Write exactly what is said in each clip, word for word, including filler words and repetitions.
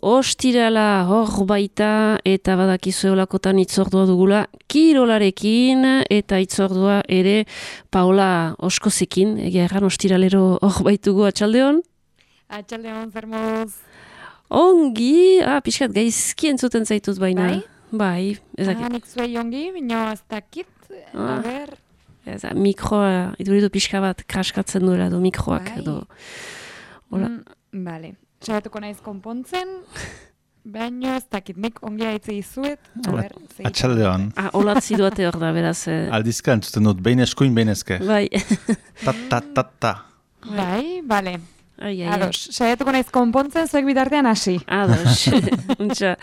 ostirala hor baita eta badakizu eolakotan itzordua dugula kirolarekin eta itzordua ere Paola Oskozekin, egia erran ostiralero hor baitugu atxaldeon? Atxaldeon, zer moduz? Ongi, ah, pixkat gaizki entzuten zaitut baina. Bai? Bai, ezakit. Ah, nik zuei ongi, baina ez dakit, Ah. a ber... Eza, mikroa, iduridu pixka bat kraskatzen duela du mikroak Bai. edo. Hola. Mm, bale, saiatuko naiz konpontzen, baina ez dakit, nik ongi haitze izuet, a ber... ze- Atxaldeon. Ah, olatzi duate hor da, beraz. Eh, Aldizka entzuten dut, behin eskuin, behin eske. bai. Ta, ta, ta, ta. Bai, bale, Ai, ai, ai. ados, saiatuko naiz konpontzen, zuek bitartean hasi. Ados. Untxa.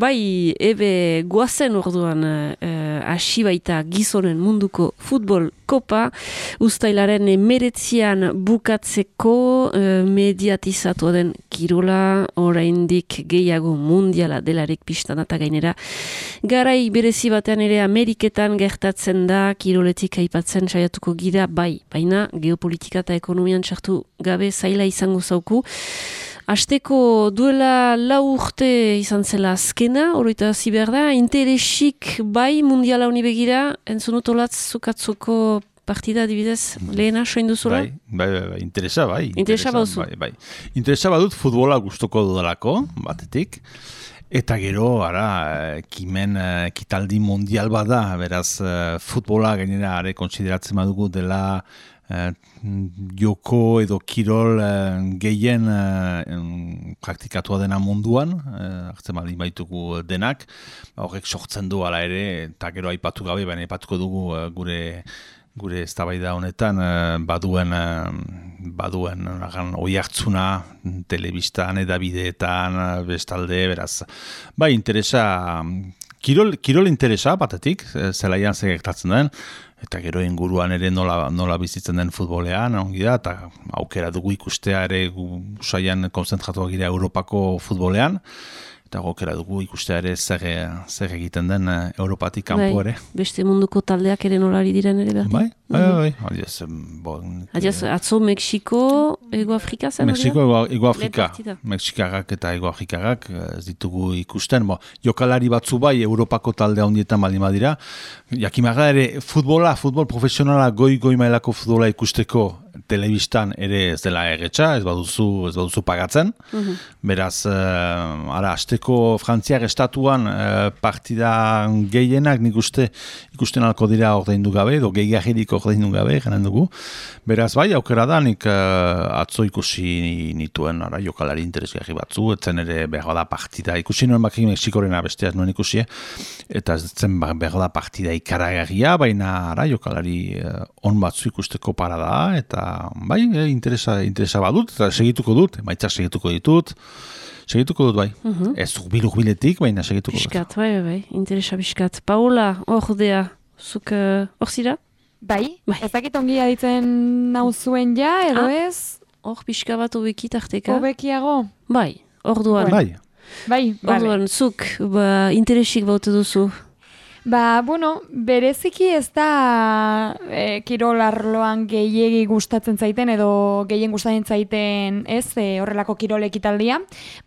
Bai, ebe guazen orduan eh, hasi baita gizonen munduko futbol kopa, ustailaren emeretzian bukatzeko eh, mediatizatua den kirola, oraindik gehiago mundiala delarik pixtan eta gainera. Garai berezi batean ere Ameriketan gertatzen da, kiroletik aipatzen saiatuko gira, bai, baina geopolitika eta ekonomian txartu gabe zaila izango zauku. Asteko duela lau urte izan zela azkena, oroita hasi behar da, interesik bai mundiala honi begira, entzunut olatz zukatzuko partida adibidez, lehena soin duzula? Bai, bai, bai, bai, interesa bai. Interesa bauzu. Bai, bai. Interesa badut futbola gustuko dudalako, batetik. Eta gero, ara, kimen ekitaldi mundial bada, beraz, eh, futbola gainera are konsideratzen badugu dela eh, joko edo kirol eh, gehien eh, praktikatua dena munduan, eh, hartzen baldin baitugu denak, horrek sortzen du ala ere, eta gero aipatu gabe, baina aipatuko dugu eh, gure gure eztabaida honetan eh, baduen eh, baduen agan oihartzuna telebistan, edabideetan, eh, bestalde, beraz. Bai, interesa, kirol, kirol interesa batetik, eh, zelaian zer gertatzen den, eta gero inguruan ere nola, nola bizitzen den futbolean, ongi da, eta aukera dugu ikustea ere gu saian konzentratuak gira Europako futbolean, eta aukera dugu ikustea ere zer, zer egiten den eh, Europatik kanpo ere. Beste munduko taldeak ere nolari diren ere behar. Bai, bai, bai. Adiaz, bon, Adiaz, atzo Mexiko, Ego Afrika zen? Mexiko, Ego, Ego Afrika. Lehen partida. Mexikarrak eta Ego Afrikarrak ez ditugu ikusten. Bo, jokalari batzu bai, Europako talde handietan baldin badira. Jakimaga ere, futbola, futbol profesionala, goi-goi mailako futbola ikusteko telebistan ere ez dela erretxa, ez baduzu, ez baduzu pagatzen. Mhm. Beraz, uh, ara, asteko Frantziar estatuan uh, partida gehienak nik uste ikusten alko dira ordaindu gabe, edo gehiagirik ordaindu gabe, janen dugu. Beraz, bai, aukera da, nik uh, atzo ikusi nituen, ara, jokalari interesgarri batzu, etzen ere behar da partida, ikusi nuen bakik Mexikorena besteaz nuen ikusi, eta ez zen behar da partida ikaragarria, baina ara, jokalari uh, on batzu ikusteko para da, eta bai, eh, interesa, interesa badut, eta segituko dut, maitzak segituko ditut, segituko dut bai. Mhm. Ez urbil-urbiletik, baina segituko dut. Piskat, bai, bai, bai, interesa piskat. Paola, hor dea, zuk uh, hor zira? Bai, Bai. ez dakit ongi aditzen nauzuen ja, edo Ah. ez, Hor pixka bat obeki tarteka? hobekiago. Bai, orduan. Bai, Bai, bale. Orduan, zuk, ba, interesik baute duzu. Ba, bueno, bereziki ez da e, kirol arloan gehiegi gustatzen zaiten edo gehien gustatzen zaiten ez e, horrelako kirol ekitaldia,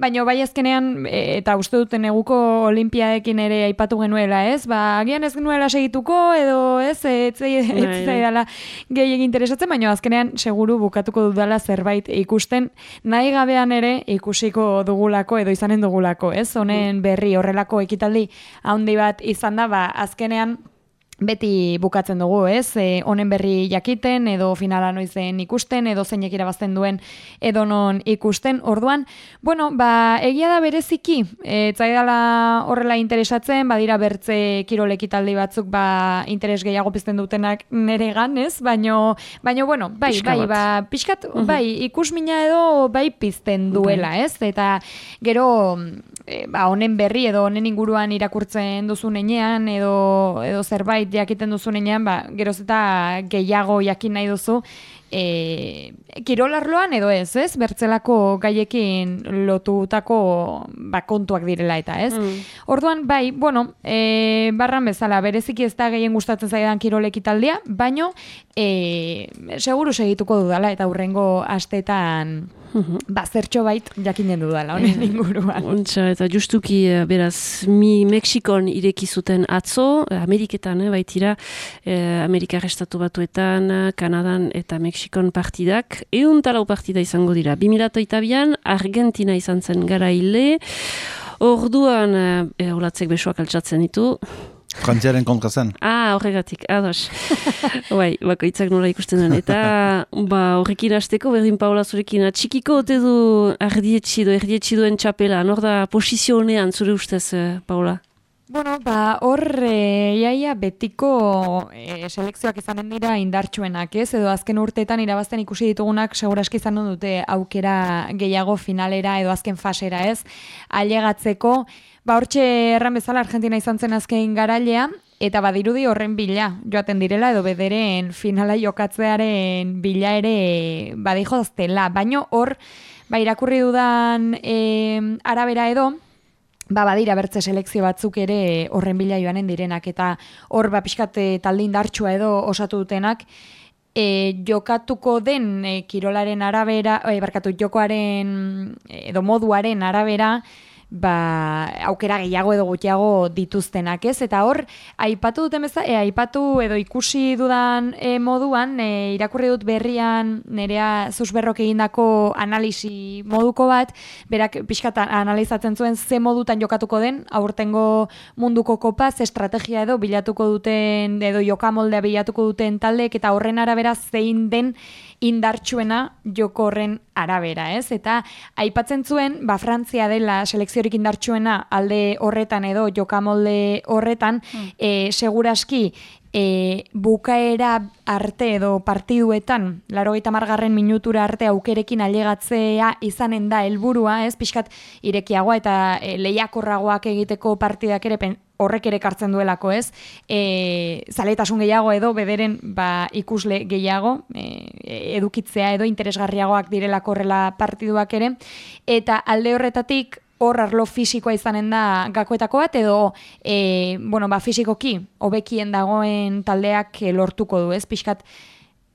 baina bai azkenean e, eta uste duten eguko olimpiadekin ere aipatu genuela, ez? Ba, agian ez genuela segituko edo ez, ez Bai, zaidala gehiegi interesatzen, baina azkenean seguru bukatuko dudala zerbait ikusten nahi gabean ere ikusiko dugulako edo izanen dugulako, ez? Honen berri horrelako ekitaldi handi bat izan da, ba, azkenean beti bukatzen dugu, ez? E, honen berri jakiten, edo finala noizen ikusten, edo zeinek irabazten duen edo non ikusten. Orduan, bueno, ba, egia da bereziki, ez zaidala horrela interesatzen, badira bertze kirol ekitaldi batzuk ba, interes gehiago pizten dutenak neregan, ez? Baino, baino bueno, bai, Pixka bai, bat. ba, pixkat, bai, ikusmina edo bai pizten duela, ez? Eta gero, e, ba, honen berri edo honen inguruan irakurtzen duzunean edo, edo zerbait jakiten duzunean, ba, geroz eta gehiago jakin nahi duzu e, kirolarloan edo ez, ez? Bertzelako gaiekin lotutako ba, kontuak direla eta, ez? Mm. Orduan, bai, bueno, e, barran bezala, bereziki ez da gehien gustatzen zaidan kirol ekitaldia, baino, e, seguru segituko dudala eta hurrengo asteetan ba, zertxo bait jakinen dudala, honen inguruan. Ontsa, eta justuki, beraz, mi Mexikon ireki zuten atzo, Ameriketan, eh, baitira, eh, Amerikar Estatu Batuetan, Kanadan eta Mexikon partidak, eun talau partida izango dira. bi mila hogeitabian Argentina izan zen garaile, orduan, eh, olatzek besoak altxatzen ditu, Frantziaren kontra zen. Ah, horregatik, ados. Bai, bakoitzak nola ikusten duen. Eta, ba, horrekin hasteko, berdin Paola zurekin, atxikiko ote du ardietxi du, erdietxi duen txapela, nor da posizio honean zure ustez, Paola? Bueno, ba, hor, e, iaia betiko e, selekzioak izanen dira indartsuenak, ez? Edo azken urteetan irabazten ikusi ditugunak seguraski izanen dute aukera gehiago finalera edo azken fasera, ez? Ailegatzeko, ba, hortxe erran bezala Argentina izan zen azken garailea, eta badirudi horren bila joaten direla edo bederen finala jokatzearen bila ere badijo daztela. Baino hor, ba, irakurri dudan e, arabera edo, ba, badira bertze selekzio batzuk ere horren bila joanen direnak, eta hor, ba, pixkat talde indartsua edo osatu dutenak, e, jokatuko den e, kirolaren arabera, e, barkatu, jokoaren edo moduaren arabera, ba, aukera gehiago edo gutxiago dituztenak, ez? Eta hor, aipatu duten bezala, e, aipatu edo ikusi dudan e, moduan, e, irakurri dut berrian nerea Zuzberrok egindako analisi moduko bat, berak pixkat analizatzen zuen ze modutan jokatuko den, aurtengo munduko kopa, ze estrategia edo bilatuko duten, edo jokamoldea bilatuko duten taldeek, eta horren arabera zein den indartsuena joko horren arabera, ez? Eta aipatzen zuen, ba, Frantzia dela selekziorik indartsuena alde horretan edo jokamolde horretan, mm. e, seguraski e, bukaera arte edo partiduetan, laurogeita hamargarren minutura arte aukerekin ailegatzea izanen da helburua, ez? Pixkat irekiagoa eta e, lehiakorragoak egiteko partidak ere pen, horrek ere kartzen duelako, ez? E, zaletasun gehiago edo bederen ba, ikusle gehiago e, edukitzea edo interesgarriagoak direlako horrela partiduak ere, eta alde horretatik hor arlo fisikoa izanen da gakoetako bat, edo e, bueno, ba, fisikoki hobekien dagoen taldeak lortuko du, ez? Pixkat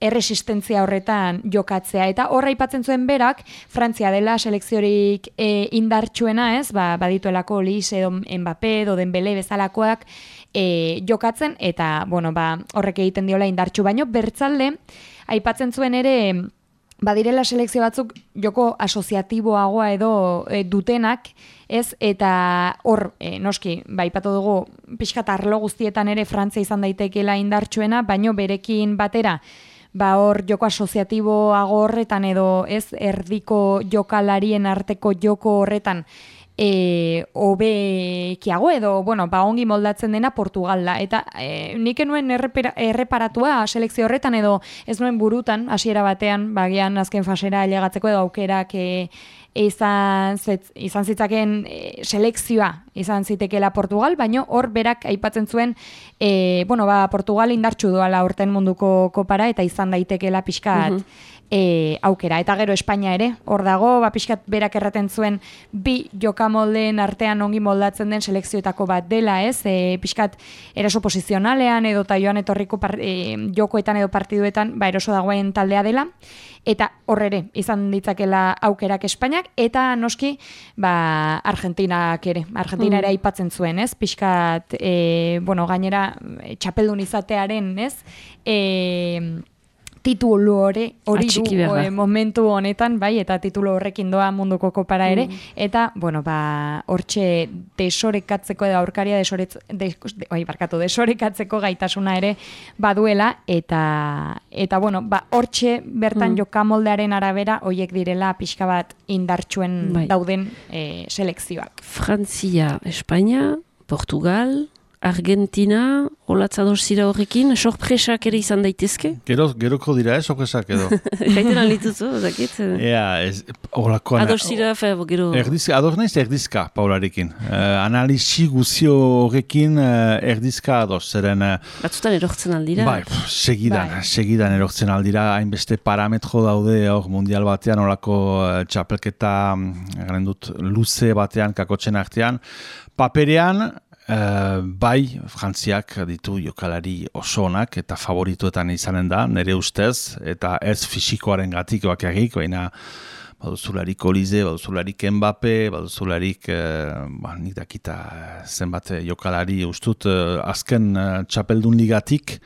erresistentzia horretan jokatzea. Eta horra aipatzen zuen berak, Frantzia dela selekziorik e, indartsuena, ez? Ba, badituelako Lis edo Mbappé edo Dembele bezalakoak e, jokatzen, eta bueno, ba, horrek egiten diola indartsu, baino bertzalde aipatzen zuen ere badirela selekzio batzuk joko asoziatiboagoa edo e, dutenak, ez? Eta hor, e, noski, ba, aipatu dugu pixkat arlo guztietan ere Frantzia izan daitekeela indartsuena, baino berekin batera ba hor joko asoziatiboago horretan edo ez erdiko jokalarien arteko joko horretan e, hobekiago edo, bueno, ba ongi moldatzen dena Portugal da. Eta e, nik enuen errepera, erreparatua selekzio horretan edo ez nuen burutan, hasiera batean, bagian azken fasera ailegatzeko edo aukerak e, izan, zet, izan zitzaken e, selekzioa izan zitekeela Portugal, baino hor berak aipatzen zuen, e, bueno, ba, Portugal indartsu doala urten munduko kopara eta izan daitekeela pixkat uh-huh. e, aukera. Eta gero Espainia ere, hor dago, ba, pixkat berak erraten zuen bi jokamolden artean ongi moldatzen den selekzioetako bat dela, ez? E, pixkat eraso posizionalean edo ta joan etorriko par, e, jokoetan edo partiduetan ba, eroso dagoen taldea dela, eta horrere izan ditzakela aukerak Espainiak, eta noski ba, Argentinak ere, Argentina ere aipatzen zuen, ez? Pixkat, e, bueno, gainera txapeldun izatearen, ez? E, titulu hori, hori du e, momentu honetan, bai, eta titulu horrekin doa munduko kopara ere, mm. eta, bueno, ba, hortxe desorekatzeko edo aurkaria desoretz, de, de, oi, barkatu, desorekatzeko gaitasuna ere baduela, eta, eta bueno, ba, hortxe bertan mm. jokamoldearen arabera, hoiek direla pixka bat indartsuen bai. Dauden e, selekzioak. Frantzia, Espainia, Portugal, Argentina, olatza dorzira horrekin, sorpresak ere izan daitezke? Gero, geroko dira, eh, sorpresak edo. Gaiten alituzu, zakit? Ea, ez, horako... Adorzira, fe, gero... Erdizka, ador naiz erdizka, Paularekin. Uh, analisi guzio horrekin uh, erdizka adoz, zeren... Uh, Batzutan erortzen aldira. Bai, pff, segidan, Bai. segidan erortzen aldira, hainbeste parametro daude hor mundial batean, horako uh, txapelketa, garen dut, luze batean, kakotzen artean. Paperean, Uh, bai, Frantziak ditu jokalari oso onak eta favorituetan izanen da, nire ustez, eta ez fisikoaren gatik bakarrik, baina baduzularik Olize, baduzularik Mbappe, baduzularik, uh, ba, nik dakita zenbat jokalari ustut, uh, azken uh, txapeldun ligatik,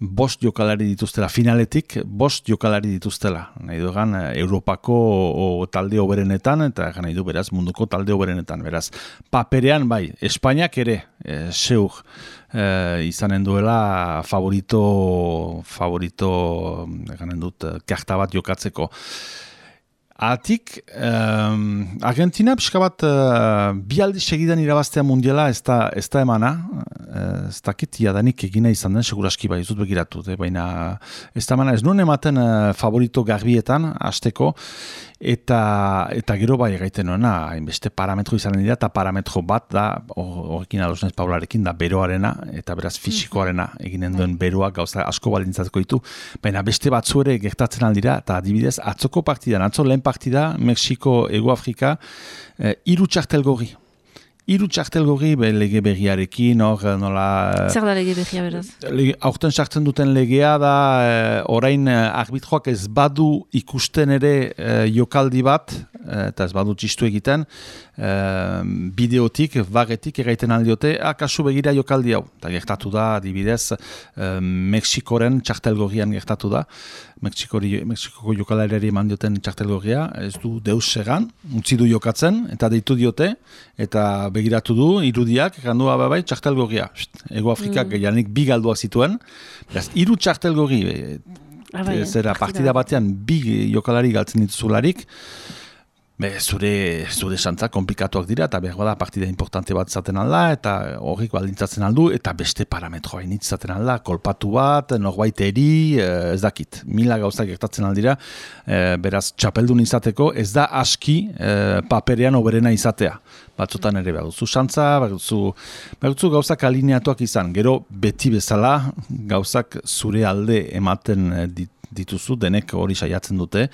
bost jokalari dituztela, finaletik, bost jokalari dituztela. Nahi du egan, Europako o, o talde oberenetan, eta nahi du beraz, munduko talde oberenetan. Beraz, paperean bai, Espainiak ere, e, seur, e, izanen duela favorito, favorito, eganen dut, karta bat jokatzeko. Atik, um, Argentina pixka bat uh, bi aldi segidan irabaztea mundiala ez da, ez da emana, uh, ez dakit jadanik egina izan den, seguraski bai, ez dut begiratu, eh? Baina ez da emana, ez nuen ematen uh, favorito garbietan, hasteko, eta, eta gero bai gaiten nuena, hainbeste parametro izanen dira, eta parametro bat da, horrekin adosnez Paularekin, da beroarena, eta beraz fisikoarena, eginen duen beroa gauza asko balintzatuko ditu, baina beste batzu ere gertatzen aldira, eta adibidez, atzoko partidan, atzo lehen partida, Mexiko, Ego Afrika, eh, iru txartel gorri. Iru txartel gorri be, lege berriarekin, hor nola... Zer da lege berria beraz? Lege, aurten sartzen duten legea da, eh, orain eh, arbitroak ez badu ikusten ere eh, jokaldi bat, eh, eta ez badu txistu egiten, eh, bideotik, vagetik erraiten aldiote, ah, kasu begira jokaldi hau. Eta gertatu da, adibidez, eh, Mexikoren txartel gorrian gertatu da, Mexikoko jokalariari eman dioten txartelgorria, ez du deus egan, utzi du jokatzen, eta deitu diote, eta begiratu du, irudiak, gandu bai, txartelgorria. Ego Afrikak mm. janik bi galduak zituen, beraz, iru txartelgorri, ah, bai, zera partida batean bi jokalari galtzen dituzularik, be, zure, zure santza komplikatuak dira, eta behar bada partida importante bat zaten alda, eta horrik baldintzatzen aldu, eta beste parametroa initz zaten alda, kolpatu bat, norbait eri, ez dakit, mila gauzak gertatzen aldira, e, beraz, txapeldun izateko, ez da aski e, paperean oberena izatea. Batzutan ere behar duzu santza, behar duzu, behar duzu gauzak alineatuak izan, gero beti bezala gauzak zure alde ematen dit, dituzu, denek hori saiatzen dute,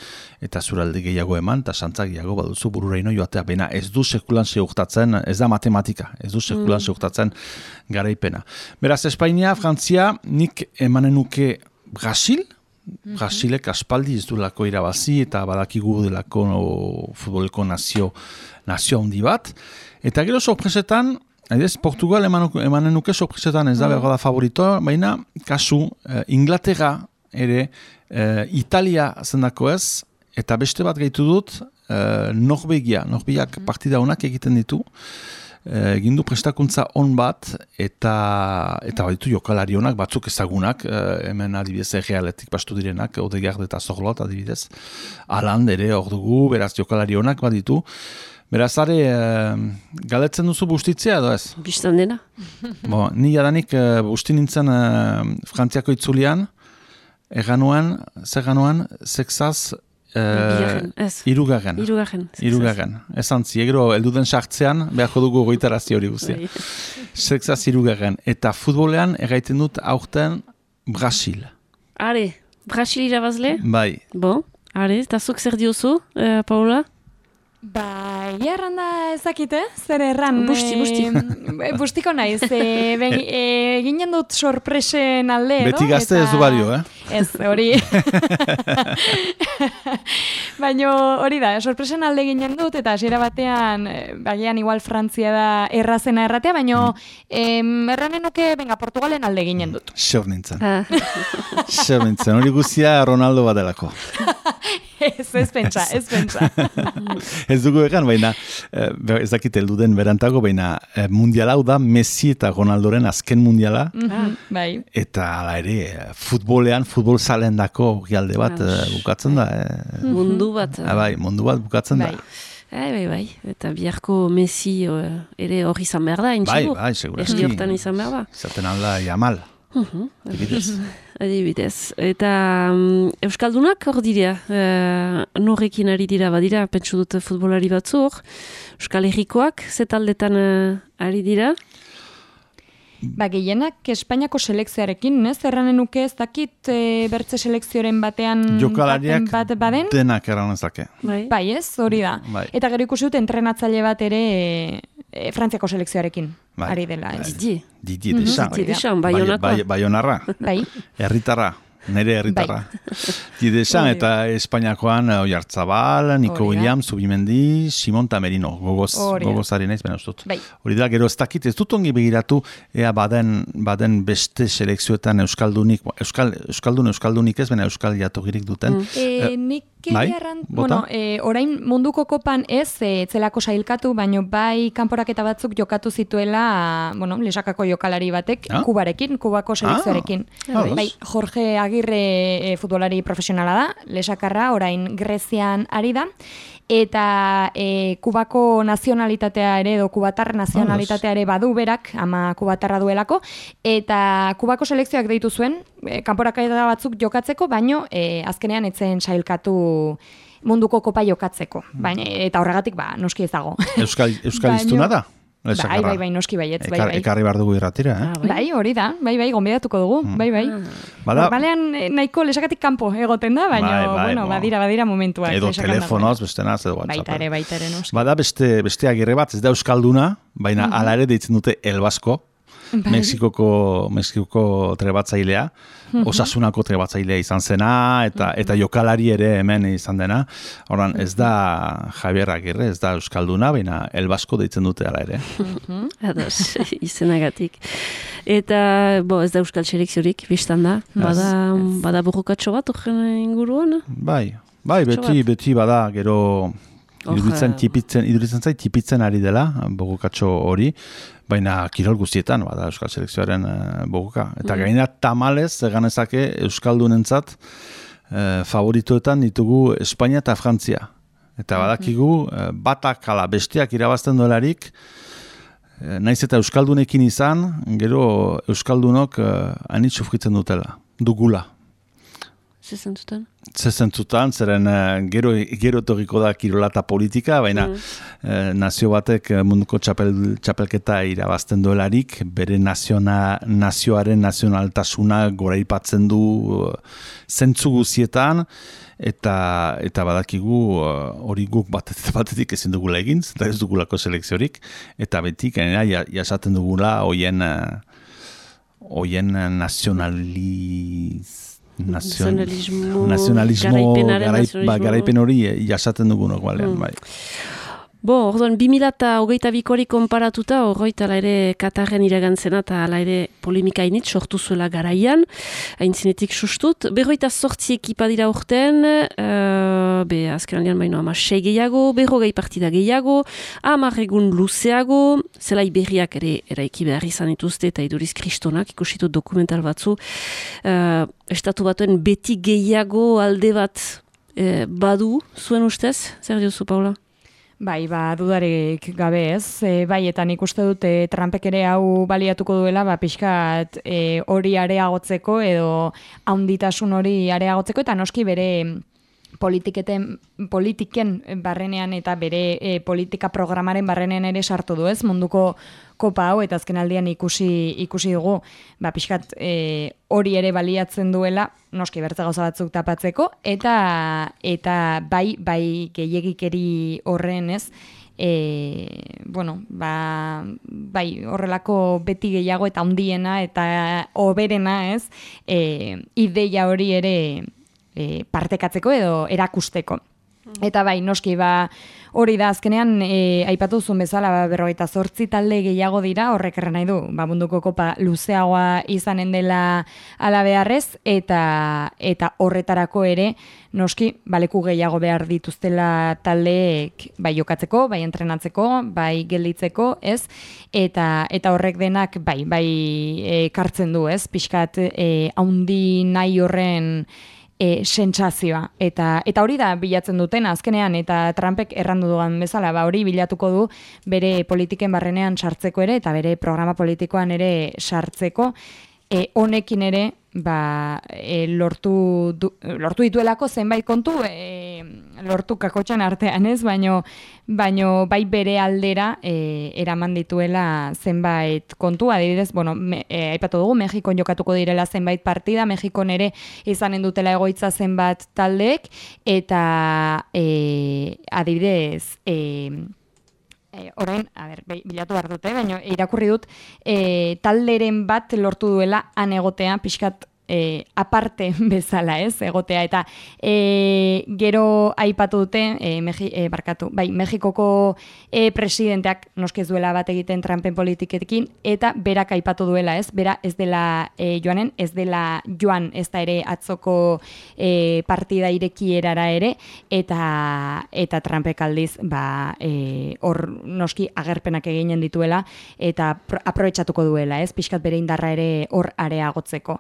eta zure alde gehiago eman, eta santzak gehiago baduzu bururaino joatea, baina ez du sekulan seurtatzen, ez da matematika, ez du sekulan mm. seurtatzen garaipena. Beraz, Espainia, Frantzia, nik emanenuke Brasil, mm-hmm. Brasilek aspaldi ez du lako irabazi, eta badakigu delako no, futboleko nazio, nazio handi bat, eta gero sorpresetan, Aidez, Portugal emanen nuke sorpresetan ez da mm. behar da favoritoa, baina kasu eh, Inglaterra ere eh, Italia zendako ez, eta beste bat gaitu dut eh, Norvegia, Norvegiak partida honak egiten ditu, eh, egin du prestakuntza on bat, eta eta baditu jokalari honak, batzuk ezagunak, eh, hemen adibidez errealetik bastu direnak, Odegaard eta Zorlot adibidez, Haaland ere hor dugu, beraz jokalari honak baditu. Beraz, are, e, galetzen duzu bustitzea edo ez? Bistan dena. Bo, ni jadanik e, busti nintzen e, Frantziako itzulian, eganuan, zer ganuan, sexaz, e, irugarren. Irugarren. Irugarren. Esan zi, egero, elduden sartzean, beharko dugu goitarazi hori guztia. Sexaz irugarren. Eta futbolean, erraiten dut aurten Brasil. Are, Brasil irabazle? Bai. Bo, are, eta zuk zer diozu, eh, Paula? Ba, erranda ezakite, zer erran. Busti, busti. E, bustiko naiz, e, e, ginen dut sorpresen alde, edo? Beti gazte eta... ez du bario, eh? Ez, hori. Baina hori da, sorpresen alde ginen dut, eta hasiera batean, bagian igual Frantzia da errazena erratea, baina mm. erranen nuke, venga, Portugalen alde ginen dut. Seur nintzen. Seur nintzen, hori guztia Ronaldo badelako. Ez, ez pentsa, ez pentsa. Ez dugu egan, baina ez dakit heldu den berantago, baina mundiala hau da Messi eta Ronaldoren azken mundiala. Mm-hmm, bai. Eta ala ere, futbolean, futbol zalendako alde bat bukatzen da. Eh. Mundu bat. Ah, bai, mundu bat bukatzen bai. da. Bai, bai, bai. Eta biharko Messi uh, ere hori izan behar da, intxigur. Bai, bai, segurazki. Erdi hortan izan behar da. Zaten alda Yamal. Uh-huh. Adibidez. Adibidez. Eta um, Euskaldunak hor dira, uh, norrekin ari dira, badira, pentsu dute futbolari batzuk, Euskal Herrikoak, zetaldetan uh, ari dira? Ba, gehienak Espainiako selekzioarekin, ez? Erranen nuke ez dakit e, bertze selekzioaren batean jokalariak bat baden? Denak erran ezake. Bai. Bai, ez? Hori da. Bai. Eta gero ikusi dut entrenatzaile bat ere e, e, Frantziako selekzioarekin Bai. ari dela. Ez? Didi. Didi desan. Didi desan, bai honakoa. Bai, bai honarra. Bai. Herritarra. Nere herritarra. Bai. Didi desan Hori. eta Espainiakoan Oyarzabal, Nico Hori da. Williams, Zubimendi, Simon Tamerino. Gogoz, Hori da. gogozari naiz, bena ustut. Bai. Hori da, gero ez dakit, ez dut ongi begiratu, ea baden, baden beste selekzioetan Euskaldunik, Euskal, Euskaldun, Euskaldunik ez, bena Euskal jatogirik duten. E, nik bai? erran, Bota? bueno, e, orain munduko kopan ez e, zelako sailkatu, baino bai kanporaketa batzuk jokatu zituela, bueno, lesakako jokalari batek, Ah? Kubarekin, Kubako selekzioarekin. Ah, bai, Jorge Agirre e, futbolari profesionala da, lesakarra, orain Grezian ari da, eta e, Kubako nazionalitatea ere, edo Kubatar nazionalitatea ere badu berak, ama Kubatarra duelako, eta Kubako selekzioak deitu zuen, e, kanporaketa batzuk jokatzeko, baino e, azkenean etzen sailkatu munduko kopa jokatzeko. Baina, eta horregatik, ba, noski ez dago. Euskal, Euskal iztuna da? Bai, Lesakarra. bai, bai, noski baietz, bai, Ekar, bai. ekarri behar dugu irratira, eh? Ah, Bai, hori da, bai, bai, gonbidatuko dugu, bai, bai. Bada, Normalean eh, nahiko lesakatik kanpo egoten da, baina, Bai, bai, bueno, bo. badira, badira momentuak. edo lesakan telefonoz, dagoen. beste naz, edo WhatsApp. Baita ere, baita ere, noski. Bada beste, beste agirre bat, ez da Euskalduna, baina Mhm. hala ere deitzen dute El Basko, Bai. Mexikoko, Mexikoko trebatzailea, Mhm. Osasunako trebatzailea izan zena, eta eta jokalari ere hemen izan dena. Horan, ez da Javier Agirre, ez da Euskalduna, baina El Basko deitzen dute hala ere. Ados, izenagatik. Eta, bo, ez da Euskal selekziorik, biztan da. Bada, bada burrukatxo bat horren inguruan? Bai, bai, beti, Txo bat. beti bada, gero iduritzen, Oja. tipitzen, iduritzen zait tipitzen ari dela, bogukatxo hori, baina kirol guztietan, bada Euskal Selekzioaren uh, boguka. Eta Mm. gainera tamalez, eganezake Euskaldunentzat uh, favoritoetan ditugu Espainia eta Frantzia. Eta badakigu, uh, batak ala besteak irabazten dolarik, uh, naiz eta Euskaldunekin izan, gero Euskaldunok uh, anitz sufritzen dutela, dugula. Zezentzutan? Zezentzutan, zeren uh, gero, gero etorriko da kirola eta politika, baina Mm. eh, nazio batek eh, munduko txapel, txapelketa irabazten duelarik, bere naziona, nazioaren nazionaltasuna goraipatzen du uh, zentzu guzietan, eta eta badakigu uh, hori guk batetik, batetik ezin dugula egin, eta ez dugulako selekziorik, eta betik, gainera, ja- jasaten dugula hoien uh, hoien nazionaliz Nazion, Nazionalismo, nazionalismo, garaipenaren garai, nazionalismo. ba, garaipen hori eh, jasaten dugunok, balean, Mm. bai. Bo, orduan, bi mila eta hogeita bikori konparatuta, horroita ala ere Katarren iragantzena eta ala ere polemika init sortu zuela garaian, aintzinetik sustut. Berroita sortzi ekipa dira urten, uh, be, azken aldean baino ama sei gehiago, berrogei partida gehiago, hamar egun luzeago, zelai berriak ere eraiki behar izan dituzte eta iduriz kristonak, ikusitu dokumental batzu, uh, estatu batuen beti gehiago alde bat eh, badu, zuen ustez? Zer diozu, Paula? Bai, ba, dudarik gabe ez. E, bai, eta nik uste dut e, Trumpek ere hau baliatuko duela, ba, pixkat e, hori areagotzeko edo handitasun hori areagotzeko, eta noski bere politiketen, politiken barrenean eta bere e, politika programaren barrenean ere sartu du ez, munduko kopa hau, eta azken aldian ikusi, ikusi dugu, ba, pixkat e, hori ere baliatzen duela, noski bertze gauza batzuk tapatzeko, eta eta bai, bai gehiegikeri horren ez, e, bueno, ba, bai horrelako beti gehiago eta handiena eta hoberena ez, e, ideia hori ere e, partekatzeko edo erakusteko. Eta bai, noski, ba, hori da azkenean, e, aipatu zuen bezala, ba, berrogeita zortzi talde gehiago dira, horrek erran nahi du, ba, munduko kopa luzeagoa izanen dela ala beharrez, eta, eta horretarako ere, noski, baleku gehiago behar dituztela taldeek, bai jokatzeko, bai entrenatzeko, bai gelditzeko, ez? Eta, eta horrek denak, bai, bai, e, kartzen du, ez? Pixkat, e, haundi nahi horren, e, sentsazioa. Eta, eta hori da bilatzen duten azkenean, eta Trumpek errandu duan bezala, ba, hori bilatuko du bere politiken barrenean sartzeko ere, eta bere programa politikoan ere sartzeko, e, honekin ere, ba, e, lortu, du, lortu dituelako zenbait kontu, e, lortu kakotxan artean ez, baino, baino bai bere aldera e, eraman dituela zenbait kontu, adibidez, bueno, me, e, aipatu dugu, Mexikon jokatuko direla zenbait partida, Mexikon ere izanen dutela egoitza zenbat taldeek, eta e, adibidez, e, E, orain, a ber, bilatu behar dute, baina irakurri dut e, talderen bat lortu duela han egotea, pixkat e, aparte bezala, ez, egotea, eta e, gero aipatu dute, e, Meji, e, barkatu, bai, Mexikoko e, presidenteak noskez duela bat egiten Trumpen politiketekin, eta berak aipatu duela, ez, bera ez dela e, joanen, ez dela joan, ez da ere atzoko e, partida irekierara ere, eta eta Trumpek aldiz, ba, e, hor noski agerpenak eginen dituela, eta aprobetxatuko duela, ez, pixkat bere indarra ere hor areagotzeko.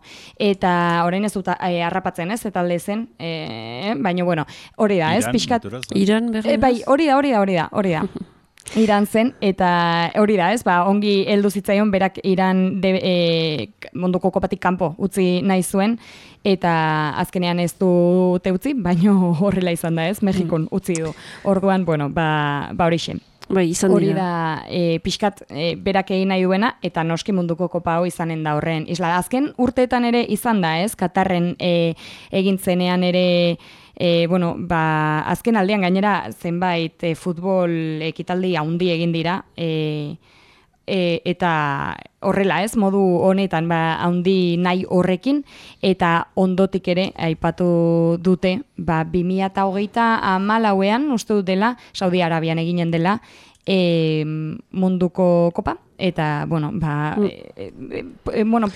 Eta orain ez dut e, harrapatzen, ez, eta alde zen, e, baina, bueno, hori da, ez, pixkat... Iran, berri, e, bai, hori da, hori da, hori da, hori da. Iran zen, eta hori da, ez, ba, ongi heldu zitzaion, berak Iran de, e, munduko kopatik kanpo utzi nahi zuen, eta azkenean ez dute utzi, baina horrela izan da, ez, Mexikon utzi du. Orduan, bueno, ba, ba hori zen. Bai, izan hori dira. da e, pixkat e, berak egin nahi duena, eta noski munduko kopa hau izanen da horren. Isla, azken urteetan ere izan da, ez? Katarren e, egin zenean ere, e, bueno, ba, azken aldean gainera zenbait e, futbol ekitaldi handi egin dira, e, e, eta horrela, ez, modu honetan, ba, handi nahi horrekin, eta ondotik ere aipatu dute, ba, bi mila hogeita hamalauean, uste dut dela, Saudi Arabian eginen dela, e, munduko kopa, eta, bueno, ba, mm. e, e, e, bueno,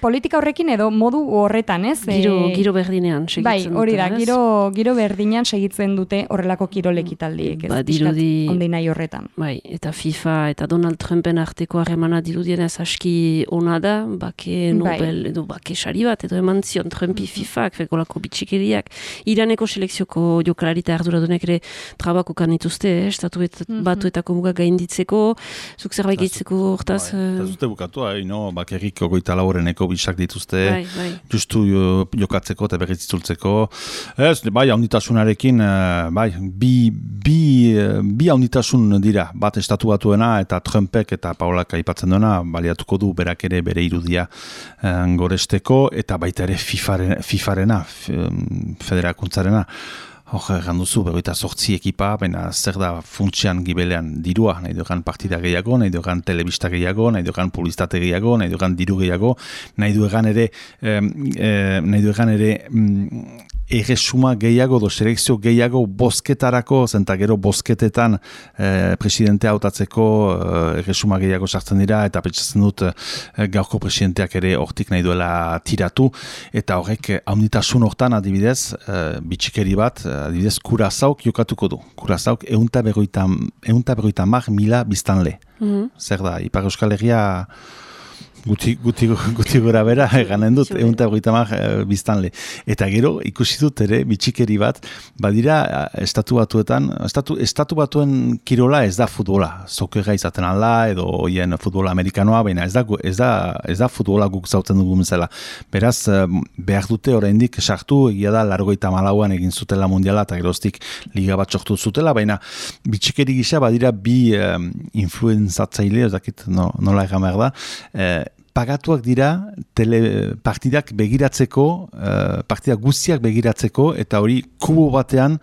politika horrekin edo modu horretan, ez? Giro, e, giro berdinean segitzen bai, dute, hori da, ez? giro, giro berdinean segitzen dute horrelako kirolekitaldiek, ez? Ba, dirudi, ondi nahi horretan. Bai, eta FIFA eta Donald Trumpen arteko harremana dirudienez aski ona da, bake Nobel, bai. edo bake sari bat, edo eman zion Trumpi mm-hmm. FIFak, fekolako bitxikeriak. Iraneko selekzioko jokalarita arduradunek ere trabako kanituzte, eh? Estatu mm-hmm. batuetako muga gainditzeko, zuk zerbait gehitzeko hortaz... Ez dute bukatu, hain, no? Bakerrik ogoita laureneko bisak dituzte, bai, bai. justu jokatzeko eta berriz itzultzeko. Ez, bai, haunditasunarekin, bai, bi, bi, bi haunditasun dira, bat estatu batuena eta Trumpek eta Paulak aipatzen duena, baliatuko du berak ere bere irudia eh, goresteko, eta baita ere FIFaren, FIFarena, federakuntzarena. Hor, ganduzu, berroita sortzi ekipa, baina zer da funtsian gibelean dirua, nahi dugan partida gehiago, nahi dugan telebista gehiago, nahi dugan publizitate gehiago, nahi dugan diru gehiago, nahi dugan ere, eh, eh, nahi dugan ere, mm, erresuma gehiago, do selekzio gehiago bozketarako, zenta gero bozketetan eh, presidentea hautatzeko eh, erresuma gehiago sartzen dira, eta pentsatzen dut eh, gaurko presidenteak ere hortik nahi duela tiratu, eta horrek haunditasun hortan adibidez, eh, bitxikeri bat, adibidez Kurazauk jokatuko du. Kurazauk eunta berroita mar mila biztanle. Mm-hmm. Zer da, Ipar Euskal Herria Guti, guti, guti gora bera, eganen dut, egun eta hogeita hamar biztanle. Eta gero, ikusi dut ere, bitxikeri bat, badira, estatu batuetan, estatu, estatu batuen kirola ez da futbola. Zokera izaten alda, edo oien futbola amerikanoa, baina ez da, ez da, ez da futbola guk zautzen dugu bezala. Beraz, behar dute oraindik sartu, egia da, largoita malauan egin zutela mundiala, eta geroztik liga bat sortu zutela, baina bitxikeri gisa badira bi um, influenzatzaile, ez dakit no, nola egan behar da, eh, pagatuak dira tele partidak begiratzeko, uh, partidak guztiak begiratzeko, eta hori kubo batean,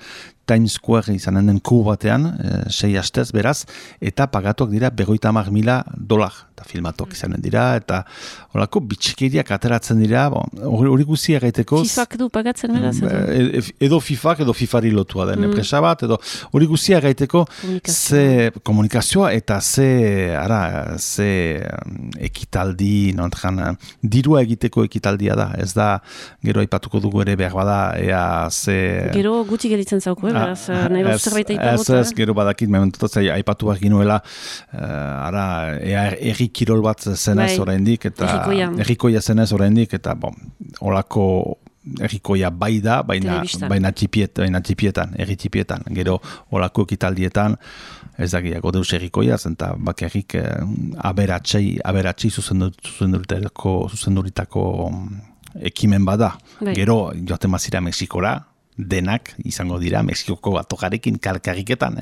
Times Square izanen den kubo batean, uh, sei hastez beraz, eta pagatuak dira berroita hamar mila dolar, eta filmatuak izanen dira, eta horako bitxikeriak ateratzen dira, hori bon, guztia gaiteko... FIFak du pagatzen beraz? Edo, edo FIFak, edo FIFari lotua den, mm. enpresa bat, edo hori guztia gaiteko ze komunikazioa eta ze, ara, ze ekitaldi, nontran, dirua egiteko ekitaldia da, ez da, gero aipatuko dugu ere behar bada, ea ze... Gero gutxi gelitzen zauko, eh? Beraz, nahi bat zerbait aipagot. Ez, ez, gero badakit, mementotatzai aipatu behar ginuela, uh, ara, ea erri kirol bat zenez bai, oraindik, eta errikoia zenez oraindik, eta bon, olako errikoia bai da, baina, baina, txipiet, baina txipietan, erri txipietan. Gero, olako ekitaldietan, ez dakiako deus errikoia, zenta bakarrik eh, aberatsei, aberatsei zuzenduritako, zuzenduritako ekimen bada. Bai. Gero, joaten mazira Mexikora, denak izango dira Mexikoko batokarekin kalkarriketan.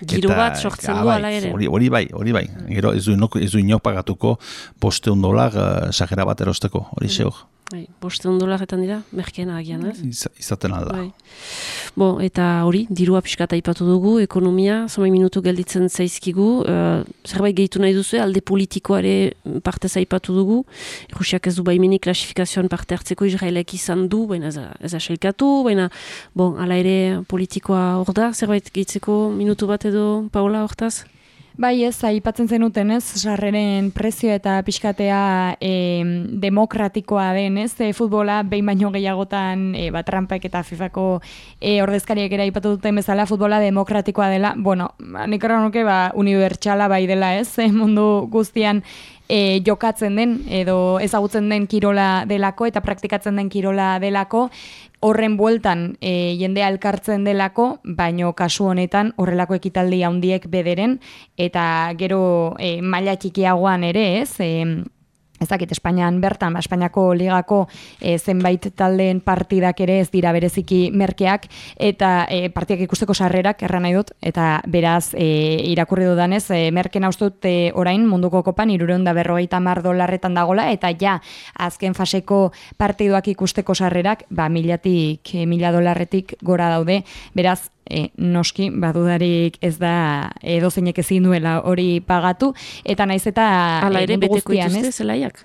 Giru bat sortzen du ala ere. Hori, hori bai, hori bai. Gero ez du inok, ez du inok pagatuko bosteun dolar uh, sajera bat erosteko, hori mm. zehor. Bai, bosteun dolaretan dira, merkeena agian, ez? Iz, izaten alda. Bai. Bo, eta hori, dirua pixkata ipatu dugu, ekonomia, zomai minutu gelditzen zaizkigu, uh, zerbait gehitu nahi duzu, alde politikoare parte zaipatu dugu, Rusiak ez du baimeni klasifikazioan parte hartzeko Israelek izan du, baina ez, ez aselkatu, baina, bon, ala ere politikoa hor da, zerbait gehitzeko minutu bat edo, Paola, hortaz? Bai ez, aipatzen zenuten ez, sarreren prezio eta pixkatea e, demokratikoa den ez, e, futbola behin baino gehiagotan e, bat Trumpek eta FIFako e, ordezkariek ere aipatu duten bezala futbola demokratikoa dela, bueno, nik erran nuke ba, unibertsala bai dela ez, e, mundu guztian e, jokatzen den edo ezagutzen den kirola delako eta praktikatzen den kirola delako, horren bueltan e, jendea elkartzen delako, baino kasu honetan horrelako ekitaldi handiek bederen, eta gero e, maila txikiagoan ere ez, e, ez dakit, Espainian bertan, Espainiako ligako e, zenbait taldeen partidak ere ez dira bereziki merkeak, eta e, partiak ikusteko sarrerak erran nahi dut, eta beraz e, irakurri dudanez, e, merken haustut e, orain munduko kopan hirurehun eta berrogeita hamar dolarretan dagola, eta ja, azken faseko partiduak ikusteko sarrerak, ba, milatik, e, mila dolarretik gora daude, beraz, E, noski, badudarik ez da edozeinek ezin duela hori pagatu, eta naiz eta ala ere beteko dituzte zelaiak?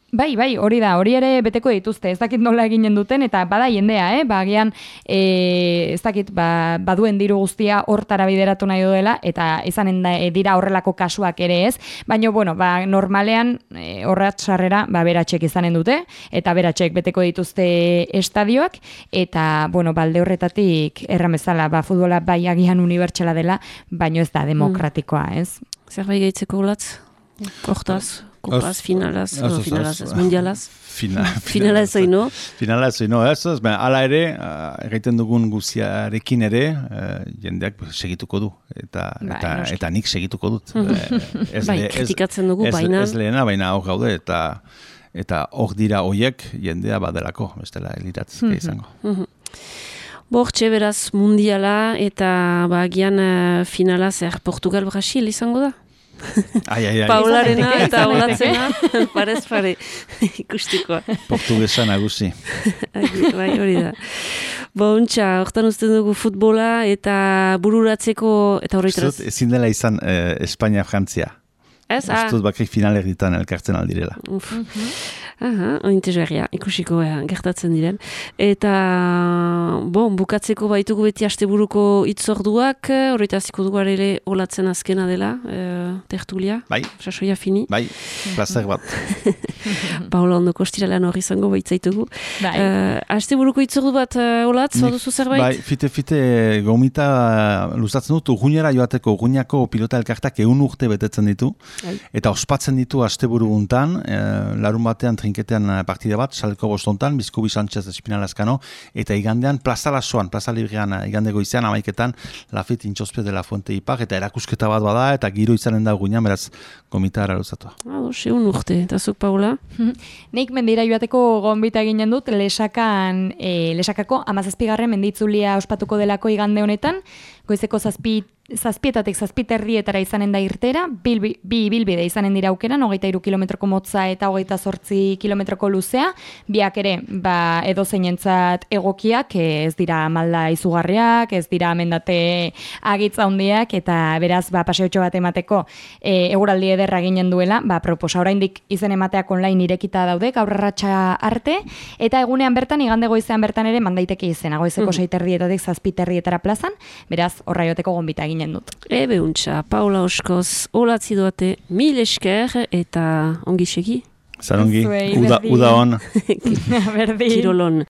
Bai, bai, hori da, hori ere beteko dituzte, ez dakit nola eginen duten, eta bada jendea, eh? Ba, agian, e, ez dakit, ba, baduen diru guztia hortara bideratu nahi duela, eta izanen da, e, dira horrelako kasuak ere ez, baina, bueno, ba, normalean, e, horrat sarrera, ba, beratxek izanen dute, eta beratxek beteko dituzte estadioak, eta, bueno, balde horretatik erramezala, ba, futbola bai agian unibertsala dela, baina ez da demokratikoa, ez? Zerbait gehitzeko ulatz? Hortaz? Kopaz, finalaz, no, finalaz, ez mundialaz. Fina, finala ez oino. Finala ez oino, ez, ez, ala ere, uh, egiten dugun guziarekin ere, uh, jendeak segituko du, eta, bai, eta, eta nik segituko dut. ez, bai, kritikatzen dugu, ez, baina. Ez lehena, baina hor gaude, eta eta hor dira hoiek jendea badelako, bestela eliratzke izango. Bortxe beraz mundiala, eta bagian uh, finala zer Portugal-Brasil izango da? Ai, ai, ai. Paularena eta olatzena, parez pare, ikustikoa. Portugesa nagusi. Bai, hori da. Bontxa, hortan usten dugu futbola eta bururatzeko, eta horretaz. Ezin dela izan eh, Espainia-Frantzia. Ez, ah. Ustut bakrik finaler ditan elkartzen aldirela. Uf. Aha, ointezgarria, ikusiko ea, gertatzen diren. Eta, bon, bukatzeko baitugu beti asteburuko itzorduak, horretaz dugu ere olatzen azkena dela, e, tertulia. Bai. Sasoia fini. Bai, plazer bat. Paola ondoko estiralean hori izango baitzaitugu. Bai. Uh, asteburuko itzordu bat uh, olatz, baduzu zerbait? Bai, fite-fite gomita luzatzen dut, urgunera joateko, urguñako pilota elkartak egun urte betetzen ditu, bai. Eta ospatzen ditu asteburu guntan, e, larun batean trinketean partida bat, saleko bostontan, Bizkubi Sánchez Espinalazkano, eta igandean Plaza Lasoan, Plaza Librean igande goizean, amaiketan, Lafit Intxospio de la Fuente Ipar, eta erakusketa bat bada, eta giro izanen da guinan, beraz, gomita eraruzatu. Ado, segun urte, eta zuk, Paula? Nik mendira joateko gonbita ginen dut, lesakan, e, lesakako amazazpigarren menditzulia ospatuko delako igande honetan, goizeko zazpi zazpietatik zazpiterrietara izanen da irtera, bilbi, bi bilbide izanen dira aukeran, hogeita iru kilometroko motza eta hogeita zortzi kilometroko luzea, biak ere, ba, edo zeinentzat egokiak, ez dira malda izugarriak, ez dira mendate agitza handiak, eta beraz, ba, paseotxo bat emateko e, eguraldi ederra ginen duela, ba, proposa oraindik izen emateak online irekita daude, gaur arratsa arte, eta egunean bertan, igande goizean bertan ere, mandaiteke izena, goizeko mm. seiterrietatik zazpiterrietara plazan, beraz, horra joteko gonbita egin dut. Ebe untxa, Paula Oskoz, olatzi doate, mil esker eta ongi segi? Zarongi, uda, uda on. Kirolon.